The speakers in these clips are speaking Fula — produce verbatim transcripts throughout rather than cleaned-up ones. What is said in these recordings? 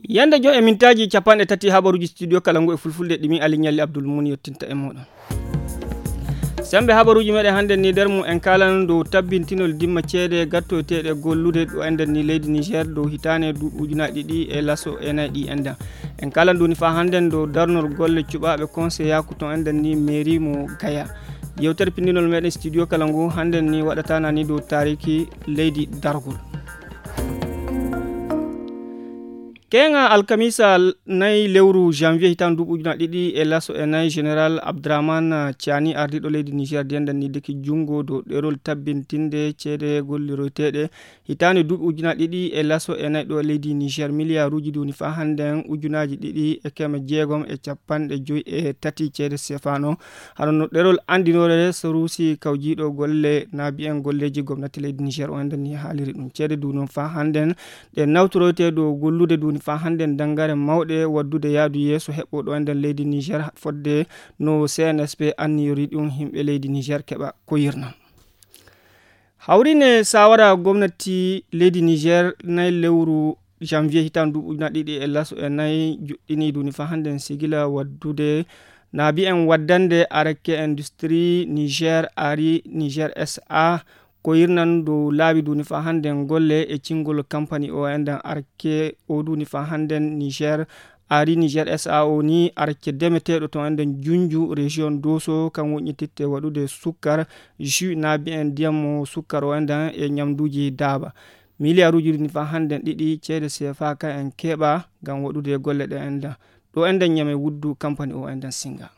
Yande joy e mintaaji capanɗe tati habaruuji studio kala ngu e fulfulde ɗimi Ali Ñalli Abdul Mun yettinta e muɗum. Sembe habaruuji meɗen hannde ni nder mum en kaalan dow tabbintinol dimma ceede gattoyteeɗe gollude ɗo enɗen ni leydi Niger dow hitaane duuɓi ujunaaji ɗiɗi e laso e nayi ɗi enɗen. En kaalan ɗum ni faa hannden dow darnol golle cuɓaaɓe konseyaku to enɗen ni mairie mo Gaya. Yewtere pinndinol meɗen studio kala ngu hannden ni waɗatana ni dow taariki leydi dargol. Keŋa alkamisa nayi lewru janvier hitaande duuɓi ujunaaji ɗiɗi e laso e nayi, Général Abdourahmane Tiani, ardiiɗo leydi Niger, dendan ni deki junngo dow ɗerol tabbintinde ceede golliroyteeɗe hitaande duuɓi ujunaaji ɗiɗi e laso e nayi ɗo e leydi Niger, miliyaaruuji ɗi woni faa hannden ujunaaji ɗiɗi e keme jeegom e capanɗe joy e tati ceede sefaano. Hano no ɗerol anndinoore saruusi kawjiiɗo golle naabi en golleeji gomnati leydi Niger o enɗen ni haaliri ɗum. Ceede du noon faa hannden ɗe nawtoroyte dow gollude duuni faa hannden danngare mawɗe waddude yaadu yeeso heɓɓo ɗo enɗen leydi Niger fodde no C N S P anniyori ɗum yimɓe leydi Niger keɓa ko yirna. Hawrine sawara gomnati leydi Niger nayi lewru janvier hitaande duuɓi ujunaaji ɗiɗi e laso e nayi juɗɗini duuni faa hannden sigila waddude naabi en waddande Arake Industrie Niger Ari Niger S A ko yirnan dow laabi duuni faa hannden golle e cingol kampani o enɗen Arake o duuni faa hannden Niger Ari Niger S A O ni Arake demeteeɗo to enɗen Junju région Doso kan woƴƴititte waɗude sukkar jus naabi en ndiyam mo sukkar o enɗen e ñamduuji daaba. Miliyaaruuji duuni faa hannden ɗiɗi ceede C F A ka en keɓa ngam waɗude golle ɗe enɗen. Ɗo enɗen ñame wuddu kampani o enɗen singa.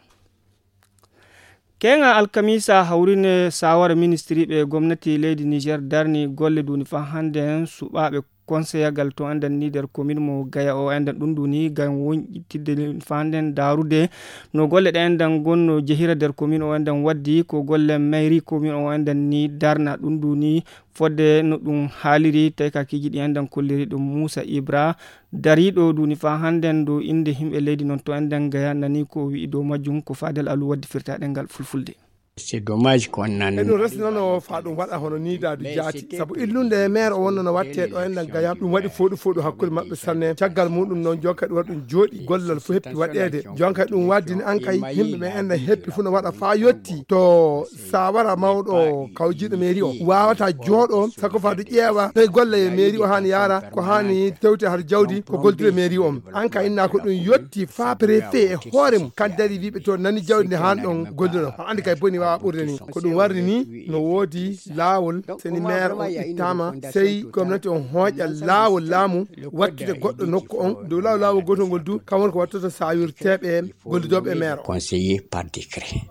Keŋa alkamisa hawrine sawara ministiriiɓe gomnati leydi Niger darni golle duuni faa hannden suɓaaɓe konseyagal to enɗen ni nder komin mo Gaya o enɗen ɗum duuni ngam woñƴitidde faa hannden daarude no golle ɗe enɗen gonno jehira nder komin o enɗen waddi ko golle mairie komin o enɗen ni darna ɗum duuni fodde no ɗum haaliri taykakiiji ɗi enɗen kolliri ɗum Muusa Ibra dariiɗo duuni faa hannden dow innde yimɓe leydi noon to enɗen Gaya nani ko o wi'i dow majjum ko Fadel Alu waddi firtaaɗe ngal fulfulde. C'est dommage qu'on en e ɗum resnano faa ɗum waɗa hono nii daadu jaati sabu illunde maire o wonno no watte ɗo enɗen Gaya ɗum waɗi fooɗu fooɗu hakkunde maɓɓe sanne caggal muɗum noon jonka ɗum waɗa ɗum jooɗi gollal fof heppi waɗeede jonka ɗum waddini an kay yimɓe ɓe enɗen heppi fof no waɗa faa yotti to sawara mawɗo kawjiiɗo mairie o waawata jooɗo sako faa du ƴeewa noy golle mairie o haani yaara ko haani tewte har jawdi ko goldude mairie on an ka inna ko ɗum yotti faa préfet e hoore mum kan dari wiɓe to nani jawdi nde haan ɗon golluno o andi kay boni wawa ɓurde ni ko ɗum warri ni no woodi laawol seni maire o ittama sey gomnati on hooƴa laawol laamu wattude goɗɗo nokku on dow laawol laawol gotol ngol du kam woni ko wattoto sawirteɓe gollidoɓe maire o conseillé par décret.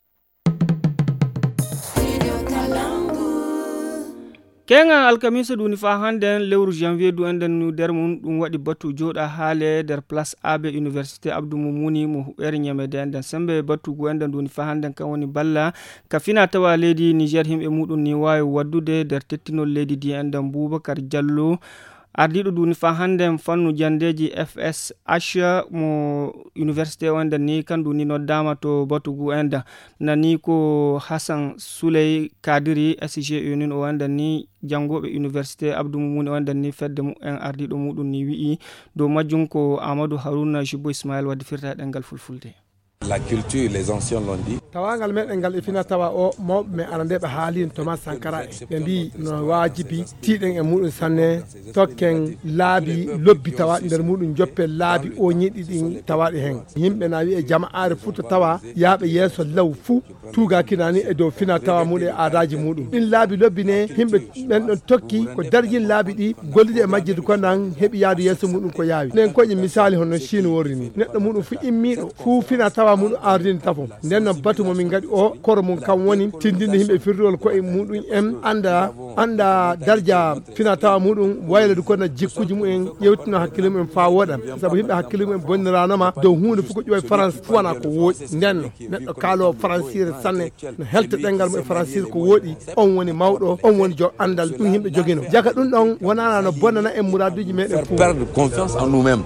Keŋa alkamisa ɗum woni faa hannden lewru janvier du enɗen nu nder mum ɗum waɗi batu jooɗa haale nder place abe université abdou mumuni mo huɓɓere ñamede enɗen sembe batu gu enɗen ɗum woni faa hannden kan woni balla ka fina tawa leydi niger yimɓe muɗum ni waawi waddude nder tettinol leydi ndi enɗen boubacar diallo ardiiɗo duuni faa hannden fannu janndeeji F S H mo université o enɗen ni kandu ni noddaama to batugu enɗen nani ko Hassan Souley Kadiri S G E nin o enɗen ni janngooɓe université Abdou Moumouni o enɗen ni fedde mumen ardiiɗo muɗum ni wi'i dow majjum ko Amadou Harouna Jubbo Ismaël waddi firta e ɗemngal fulfulde. La culture, les anciens l'ont dit. Tawaangal meɗen ngal e fina tawa o mawɓe men arandeɓe haalino Thomas Sankara en ɓe mbi no waajibi tiiɗen e muɗum sanne tokken laabi lobbi tawa nder muɗum joppen laabi o ñiɗi ɗin tawaɗi hen yimɓe na wi'e jama'aare futa tawa yaaɓe yeeso law fuu tuugaki nani e dow fina tawa muɗum e aadaaji muɗum ɗin laabi lobbi ne yimɓe ɓen ɗon tokki ko darjin laabi ɗi gollude e majjirde ko nan heɓi yaadu yeeso muɗum ko yaawi nden koƴe misali hono Chine worri ni neɗɗo muɗum fu immiɗo fu fina tawa muɗum ardini tafo nden non batu mo min gaɗi o koro mum kam woni tindinde yimɓe firduwol koye muɗum en anda anda darja fina tawa muɗum waylode ko na jikkuji mumen ƴewtino hakkille mumen fa woɗa sabu yimɓe hakkille mumen bonniranoma dow hunde fof ko ƴuwa e france fu wona ko wooɗi nden non neɗɗo kaalo fransire sanne no helta ɗengal mum e fransire ko wooɗi on woni mawɗo on woni jo andal ɗum yimɓe jogino jaka ɗum ɗon wonana no bonnana en muraduji meɗen fof perdre confiance en nous-mêmes.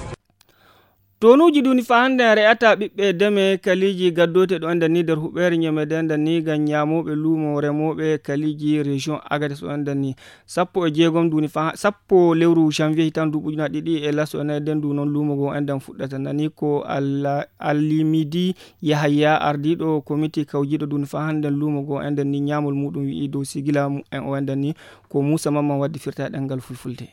Tonuuji ɗuuni faa hannde en re'ata ɓiɓɓe deme kaliiji gaddoote ɗo enɗan ni nder huɓeere ñemede enɗan ni ngam ñaamooɓe luumo remooɓe kaliiji région Agadez o enɗan ni. Sappo e jeegom ɗuuni faa sappo lewru janvier hitan duuɓi ujunaaji ɗiɗi e laso e nayi nden ndu noon luumo ngo enɗan fuɗɗata nani ko Alla- Allimidi Yahaya ardiiɗo komiti kawjiiɗo ɗuuni faa hannde luumo ngo enɗan ni ñaamol muuɗum wi'i dow sigila mumen o enɗan ni ko Muusa Mamman waddi firta e ɗemngal fulfulde.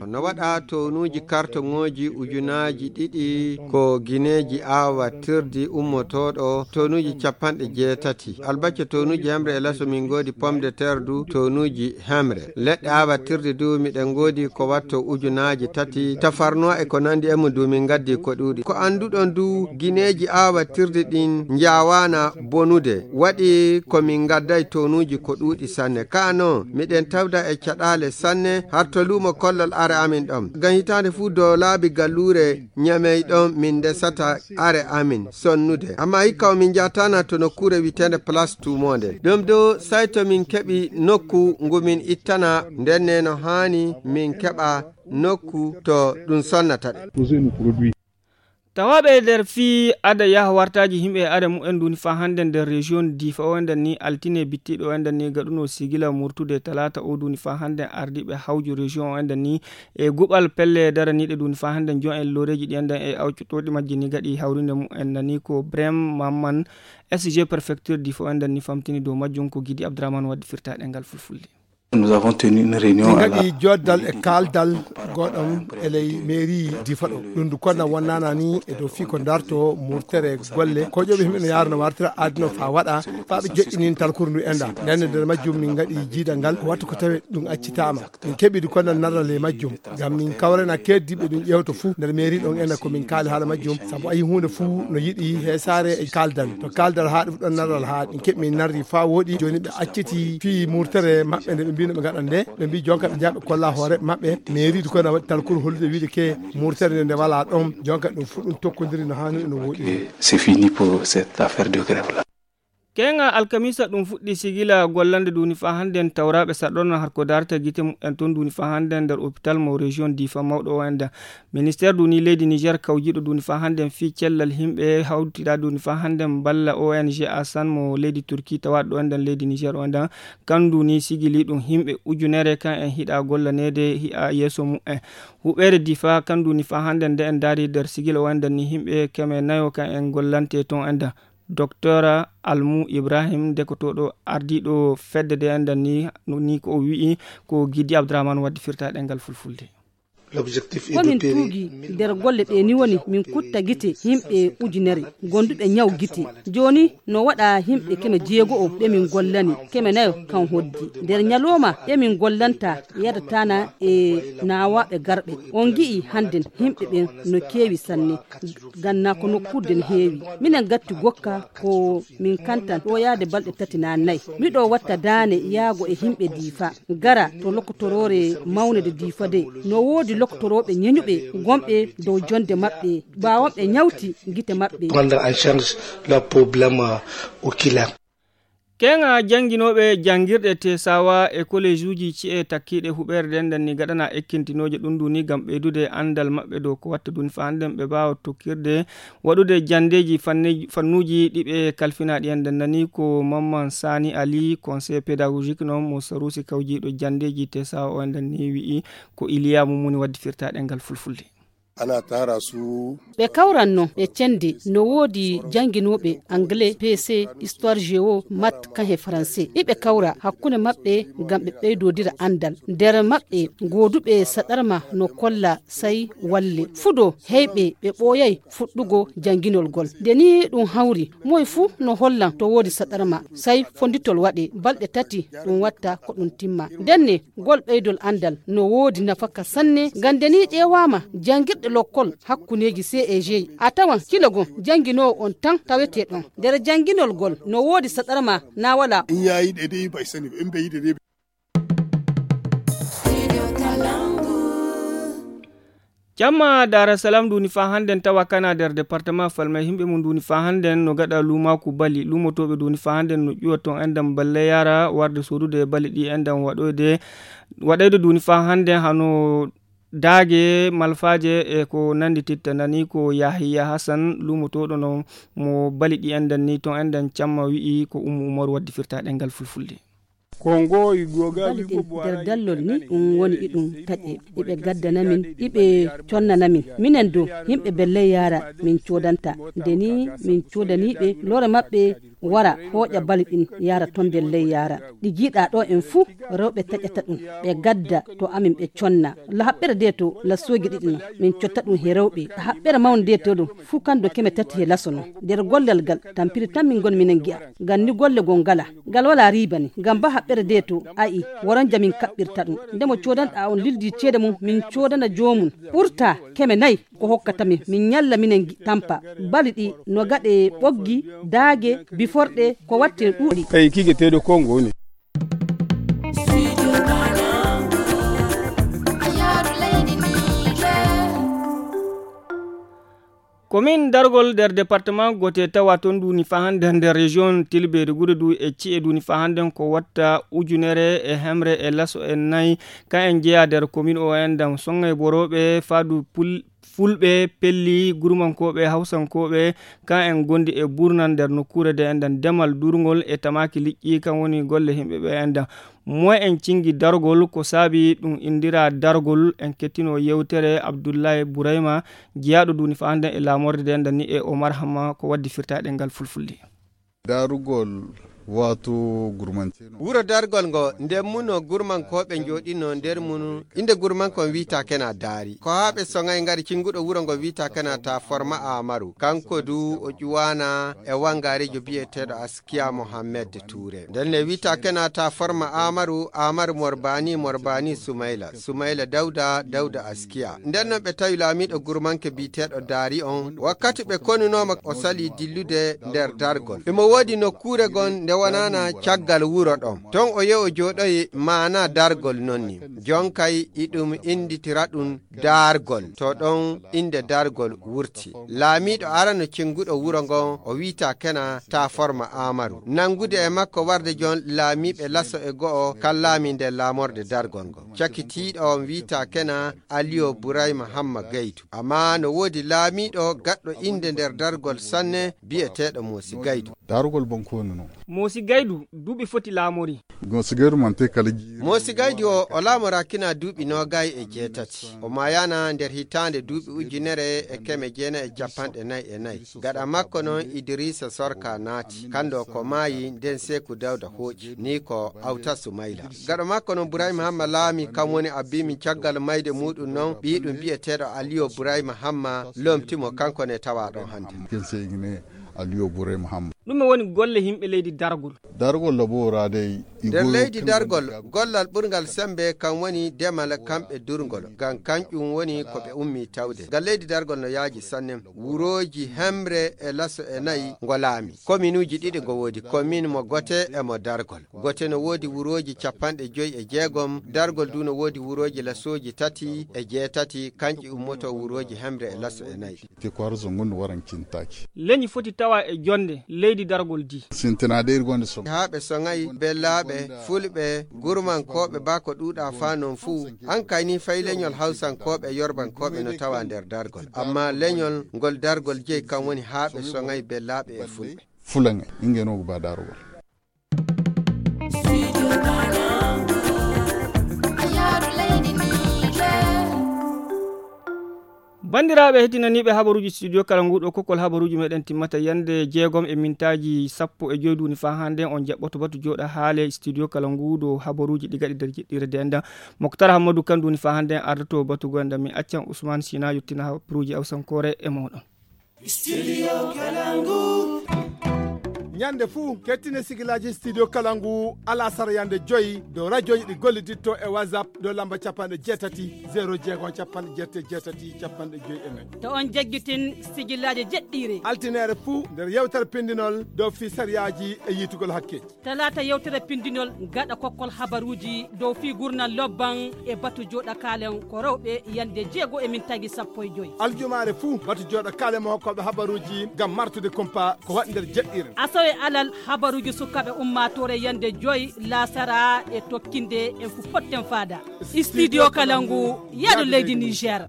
No waɗa townuuji kartoŋooji ujunaaji ɗiɗi ko gineeji aawatirdi ummotooɗo townuuji capanɗe jeetati. Albacce townuuji hemre e laso min ngoodi pomme de terre du townuuji hemre. Leɗɗe aawatirdi du miɗen ngoodi ko watto ujunaaji tati. Tafarnuwa e ko nanndi e mum du min ngaddi ko ɗuuɗi. Ko annduɗon du gineeji aawatirdi ɗin njaawaana bonude. Waɗi ko min ngadday townuuji ko ɗuuɗi sanne. Kaa non miɗen tawda e caɗaale sanne har to luumo kollol are amin ɗon. Ngam hitaande fuu dow laabi galluure ñamey ɗon min ndesata are amin sonnude. Amma hikka o min njaatana to nokkuure wi'eteende Place Tuumoonde. Ɗum dow say to min keɓi nokku ngu min ittana ndenne no haani min keɓa nokku to ɗum sonnata ɗe. Tawaaɓe e nder fii ada yaha wartaaji yimɓe e ada mumen duuni faa hannde nder région Difa o enɗan ni altine bittiiɗo o enɗan ni gaɗuno sigila murtude talaata o duuni faa hannde ardiiɓe hawju région o enɗan ni e guɓal pelle daraniiɗe duuni faa hannde jon en looreeji ɗi enɗan e awcotooɗi majji ni gaɗi hawrinde mumen nani ko Brem Mamman S G préfecture Difa o enɗan ni famtini dow majjum ko Gidi Abdourahmane waddi firtaaɗe ngal fulfulde. Min ngaɗi joddal e kaaldal goɗɗam e ley mairie Difa ɗo. Ɗum ndu konna wonnana ni e dow fii ko darto murtere golle ko ƴoɓi himɓe no yaarno wartira adino faa waɗa faa ɓe joƴƴinin talkuru ndu enɗan. Nden nder majjum min ngaɗi jiidal ngal wattu ko tawi ɗum accitaama. Min keɓi du konna narral e majjum ngam min kawrena keddiiɓe ɗum ƴeewto fuu nder mairie ɗon enɗan ko min kaali haala majjum sabu ayi huunde fuu no yiɗi heesaare e kaaldal to kaaldal haa ɗum ɗon narral haa min keɓi min narri faa wooɗi jooni ɓe acciti fii murtere maɓɓe nde ɓe mbino ɓe ngaɗan nde ɓe mbi jonka ɓe njaha ɓe kolla hoore maɓɓe mairie du konna waɗi talkuru hollude wiide ke murtere nde nde walaa ɗon jonka ɗum fuu ɗum tokkondiri no haaniri no wooɗi. C'est fini pour cette affaire de grève là. Keeŋa alkamiisa ɗum fuɗɗi sigila gollande duuni faa hannden tawraaɓe saɗɗorno harko daarta gite mumen toon duuni faa hannden nder opital mo région Difa mawɗo o enɗan. Ministeer duuni leydi Niger kawjiiɗo duuni faa hannden fii cellal yimɓe hawtiɗaa duuni faa hannden balla O N G Asan mo leydi Turki tawaaɗo ɗo enɗan leydi Niger o enɗan. Kan duuni sigili ɗum yimɓe ujunere kan en hiɗa gollaneede hi'a yeeso mumen. Huɓeere Difa kan duuni faa hannden nde en ndaari nder sigila o enɗan ni yimɓe keme nayo kan en gollante toon enɗan. Docteur Almu Ibrahim dekotooɗo ardiiɗo fedde nde enɗan ni ni ko o wi'i ko Gidi Abdourahmane waddi firta ɗemngal fulfulde. Ko min tuugi nder golle ɗe ni woni min kutta gite yimɓe ujunere gonduɓe ñaw gite. Jooni no waɗa yimɓe keme jeego'o ɓe min gollani keme nayo kan hoddi. Nder ñalooma ɓe min gollanta yadatana e naawaaɓe garɓe. On ngi'i hannden yimɓe ɓen no keewi sanne. Ganna ko nokkuure no heewi. Minen gatti gokka ko min kantan ɗo yaade balɗe tati naa nayi. Miɗo watta daane yaago e yimɓe Difa. Gara to lokotoroore mawne de Difa de. No woodi lokotorooɓe ñeñuɓe gonɓe dow jonde maɓɓe. Ɓaawo ɓe ñawti gite maɓɓe. Prendre en charge leur problème oculaire. Keeŋa jannginooɓe janngirɗe Tesawa e kolejuuji ci'e takkiiɗe huɓeere nden nden ni gaɗana ekkintinooje ɗum ndu ni ngam ɓeydude anndal maɓɓe dow ko watta duuni faa hannden ɓe mbaawa tokkirde waɗude janndeeji fannuuji ɗi ɓe kalfinaaɗi en nden nani ko Mamman Sani Ali conseil pédagogique noon mo Sarusi kawjiiɗo janndeeji Tesawa o nden ni wi'i ko Iliya Mumuni waddi firtaaɗe ngal fulfulde. Ɓe kawran no ɓe cende no woodi jannginooɓe anglais, P C, histoire géo, mat, kan he français. Iɓe kawra hakkunde maɓɓe ngam ɓe ɓeydodira anndal. Nder maɓɓe gooduɓe saɗarma no kolla say walle. Fudo heyɓe ɓe ɓooyay fuɗɗugo jannginol gol. Nde ni ɗum hawri, moy fuu no hollan to woodi saɗarma, say fonditol waɗe balɗe tati ɗum watta ko ɗum timma. Ndenne gol ɓeydol anndal no woodi nafaka sanne ngam nde ni ƴeewaama janngirɗe lokkol hakkundeeji C E G a tawan kilo gom jannginoowo on tan tawetee ɗon nder jannginol gol no woodi saɗarma naa walaa. Jamma Daara Salam nduuni faa hannden tawa kana nder departement Falmay yimɓe mum nduuni faa hannden no gaɗa luumaaku bali luumotooɓe nduuni faa hannden no ƴuwa toon enɗan balle yara warde soodude bali ɗi enɗan waɗoyde waɗayde nduuni faa hannden hano Daage, malfaaje e ko nanndititta nani ko Yahya Hassan, luumotooɗo no mo bali ɗi enɗan ni, toon enɗan camma wi'i ko Ummu Umaru waddi firtaaɗe ngal fulfulde. Kongo i goga Balɗe ɗin nder dallol ni ɗum woni iɗum taƴe, iɓe gaddana min, iɓe connana min. Minen dow, yimɓe belley yaara min coodanta. Nde ni min coodaniiɓe, lore maɓɓe wara hooƴa bali ɗin yaara toon nder ley yaara. Ɗi jiiɗaa ɗo en fuu, rewɓe taƴata ɗum, ɓe gadda to amin ɓe conna. La haɓɓere de to la soogi ɗiɗi no, min cotta ɗum he rewɓe. Haɓɓere mawnde de to ɗum, fuu kan do keme tati he laso no. Nder gollal gal, tampiri tan min ngon minen gi'a. Ngam ni golle goo ngala, ngal walaa riiba ni. Ngam ba haɓɓere de to, a'i, woron jamin kaɓɓirta ɗum. Nde mo coodanɗaa on lildi ceede mum, min coodana joomum. Ɓurta keme nayi ko hokkata min, min ñalla minen gi-, tampa. Bali ɗi no gaɗe ɓoggi, daage, biforɗe, ko watte ɗuuɗi. Eyi, kigeteeɗo Kongo woni. Komin dargol nder département gote tawa toon duni faa hannde nder région Tilbeeri Gude du e ci'e duni faa hannde ko watta ujunere e hemre e laso e nayi. Ka en jeyaa nder komin o en dam songay borooɓe faadu pul-, fulɓe, pelli, gurmankooɓe, hawsankooɓe, ka en gondi e burnan nder nokkuure de en dan demal durngol e tamaaki liƴƴi, kan woni golle yimɓe ɓe en dan. Moy en cingi dargol, ko saabi ɗum indira dargol, en kettino yewtere Abdullahi Burayma, jeyaaɗo duni faa hannde e laamorde de en dan ni e Omar Hamma ko waddi firtaaɗe ngal fulfulde. Darugol wato gurmance no. Wuro dargol ngo, nder mun no gurmankooɓe njooɗino nder mun, innde gurmanko on wi'ata kena Daari. Ko haa ɓe soŋay ngari cinguɗo wuro ngo wi'ata kena ta Forma Amaru. Kanko du o ƴuwaana e wangaareejo bi'eteeɗo Askiya Mohammed Tuure. Nden ne wi'ata kena ta Forma Amaru, Amaru Morbani, Morbani Sumayla, Sumayla Dawda, Dawda Askiya. Nden non ɓe tawi laamiiɗo gurmanke bi'eteeɗo Daari on, wakkati ɓe konunooma o salii dillude nder dargol. Imo woodi nokkuure gon nde wonaana caggal wuro ɗon. Ton o yehi o jooɗoyi maana dargol non ni. Jonkay iɗum innditira ɗum dargol. To ɗon innde dargol wurti. Laamiiɗo arano cinguɗo wuro ngon o wi'ata kena ta Forma Amaru. Nangude e makko warde jon laamiiɓe laso e go'o kan laami nder laamorde dargol ngon. Cakitiiɗo on wi'ata kena Aliyo Burayma Hamma Gaydu. Amma no woodi laamiiɗo gaɗɗo innde nder dargol sanne bi'eteeɗo Moosi Gaydu. Darugol bon konu no. Moosi Gaydu, duuɓi foti laamori. Moosi Gaydu mante kala jiiri. Moosi Gaydu o, o laamoraakina duuɓi noogay e jeetati. O maayaana nder hitaande duuɓi ujunere e keme jeenay e cappanɗe nay e nay. Gaɗa makko non Idrisa Sorka naati. Kando ko maayi nden Seeku Dawda hooƴi. Ni ko Awta Sumayla. Gaɗa makko non Burayma Hamma laami, kan woni abbiimi caggal mayde muuɗum non, ɓiiɗum bi'eteeɗo Aliyo Burayma Hamma lomtimo, kanko ne tawa ɗon hannde. Ken sey ne Aliyo Burayma Hamma. Ɗume woni golle yimɓe leydi dargol? Dargol laboraade e nder leydi dargol, gollal ɓurngal sembe kan woni demal kamɓe durngol. Ngam kanƴum woni ko ɓe ummi tawde. Ngal leydi dargol no yaaji sanne. Wurooji hemre e laso e nayi ngo laami. Kominuuji ɗiɗi ngo woodi, komin mo Gote e mo Dargol. Gote no woodi wurooji cappanɗe joyi e jeegom, Dargol du no woodi wurooji lasooji tati e jeetati, kanƴi ummoto wurooji hemre e laso e nayi. Te ko harzo ngondu waran cintaaki. Leñi foti tawa e jonde leydi dargol di. Sintinaaɗe iri gonde soŋ. Haa ɓe soŋay bellaaɓe, fulɓe, gurmankooɓe, baa ko ɗuuɗa faa non fuu. An kay ni fay leñol hawsankooɓe, yorbankooɓe no tawa nder dargol. Amma leñol ngol dargol jeyi kan woni haa ɓe soŋay bellaaɓe e fulɓe. Fulaŋe, inge no ba dargol. Banndiraaɓe heɗinaniiɓe habaruuji studio kala nguuɗo kokkol habaruuji meɗen timmata yande jeegom e mintaaji sappo e joy duuni faa hannde on jaɓɓoto batu jooɗa haale studio kala nguuɗo habaruuji ɗi gaɗi nder jeɗɗire denda. Moktar Hammadou kan duuni faa hannde ardoto batu goyanda mi accan Ousmane Sina yottina habaruuji awsankoore e mooɗon. Studio Kalangu. Ñande fuu, kettine sigilaaji Studio Kalangu alasara yande joyi dow rajooji ɗi golliditto e WhatsApp dow lamba capanɗe jeetati, zéro jeegom, capanɗe jeetati, capanɗe joyi e nayi. To on jaggitin sigilaaji jeɗɗiire. Altineere fuu nder yewtere pindinol dow fii sariyaaji e yiitugol hakke. Talaata yewtere pindinol gaɗa kokkol habaruuji dow fii gurnal lobban e batu jooɗa kaalen ko rewɓe yande jeego e mintaaji sappo e joy. Aljumaare fuu batu jooɗa kaalen mo hokkooɓe habaruuji ngam martude kumpa ko waɗi nder jeɗɗiire. Asawe E alal habaruuji sukaaɓe ummaatoore yande joy laasara e tokkinde en fu potten faada. Studio Kalangu, yaadu leydi Niger.